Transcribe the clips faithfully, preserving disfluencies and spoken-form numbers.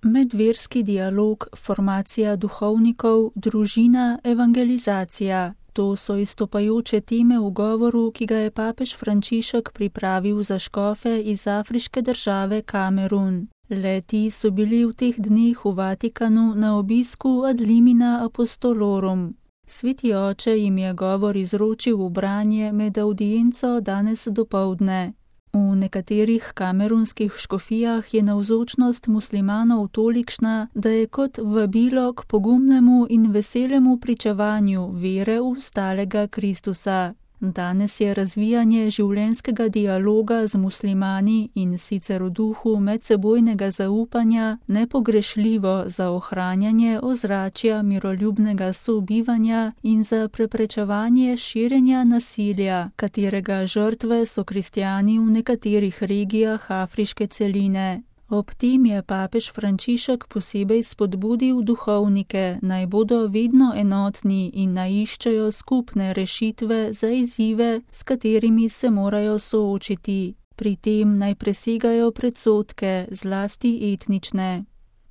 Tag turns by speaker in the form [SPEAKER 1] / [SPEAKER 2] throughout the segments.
[SPEAKER 1] Medverski dialog, formacija duhovnikov, družina, evangelizacija. To so izstopajoče teme v govoru, ki ga je papež Frančišek pripravil za škofe iz afriške države Kamerun. Le-ti so bili v teh dneh v Vatikanu na obisku ad limina apostolorum. Sveti oče jim je govor izročil v branje med audienco danes dopoldne. V nekaterih kamerunskih škofijah je navzočnost muslimanov tolikšna, da je kot vabilo k pogumnemu in veselemu pričevanju vere v stalega Kristusa. Danes je razvijanje življenjskega dialoga z muslimani in sicer v duhu medsebojnega zaupanja nepogrešljivo za ohranjanje ozračja miroljubnega sobivanja in za preprečevanje širjenja nasilja, katerega žrtve so kristjani v nekaterih regijah afriške celine. Ob tem je papež Frančišek posebej spodbudil duhovnike, naj bodo vedno enotni in naj iščejo skupne rešitve za izzive, s katerimi se morajo soočiti. Pri tem naj presegajo predsodke, zlasti etnične.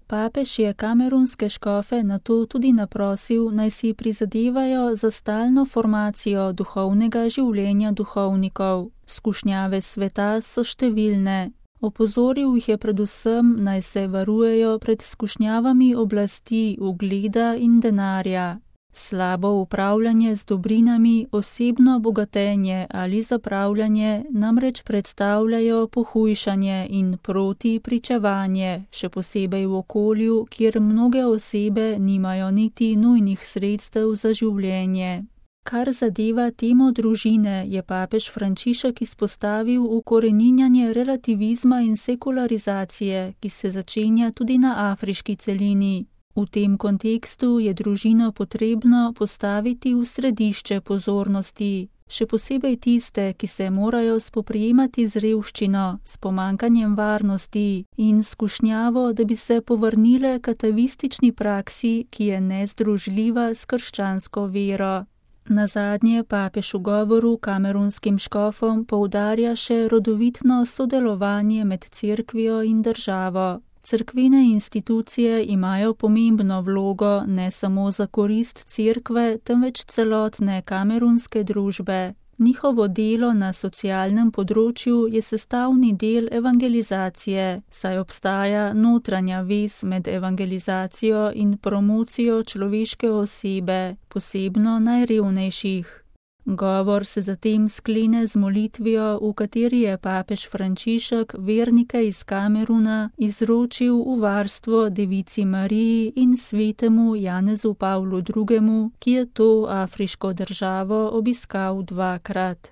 [SPEAKER 1] Papež je kamerunske škofe nato tudi naprosil, naj si prizadevajo za stalno formacijo duhovnega življenja duhovnikov. Skušnjave sveta so številne. Opozoril jih je predvsem, naj se varujejo pred skušnjavami oblasti, ugleda in denarja. Slabo upravljanje z dobrinami, osebno bogatenje ali zapravljanje namreč predstavljajo pohujšanje in protipričevanje, še posebej v okolju, kjer mnoge osebe nimajo niti nujnih sredstev za življenje. Kar zadeva temo družine, je papež Frančišek izpostavil ukoreninjanje relativizma in sekularizacije, ki se začenja tudi na afriški celini. V tem kontekstu je družino potrebno postaviti v središče pozornosti, še posebej tiste, ki se morajo spoprijemati z revščino, s pomankanjem varnosti in skušnjavo, da bi se povrnile k atavistični praksi, ki je nezdružljiva s krščansko vero. Nazadnje papež v govoru kamerunskim škofom poudarja še rodovitno sodelovanje med cerkvijo in državo. Cerkvene institucije imajo pomembno vlogo ne samo za korist cerkve, temveč celotne kamerunske družbe. Njihovo delo na socialnem področju je sestavni del evangelizacije, saj obstaja notranja vez med evangelizacijo in promocijo človeške osebe, posebno najrevnejših. Govor se zatem sklene z molitvijo, v kateri je papež Frančišek vernike iz Kameruna izročil v varstvo devici Mariji in svetemu Janezu Pavlu drugemu, ki je to afriško državo obiskal dvakrat.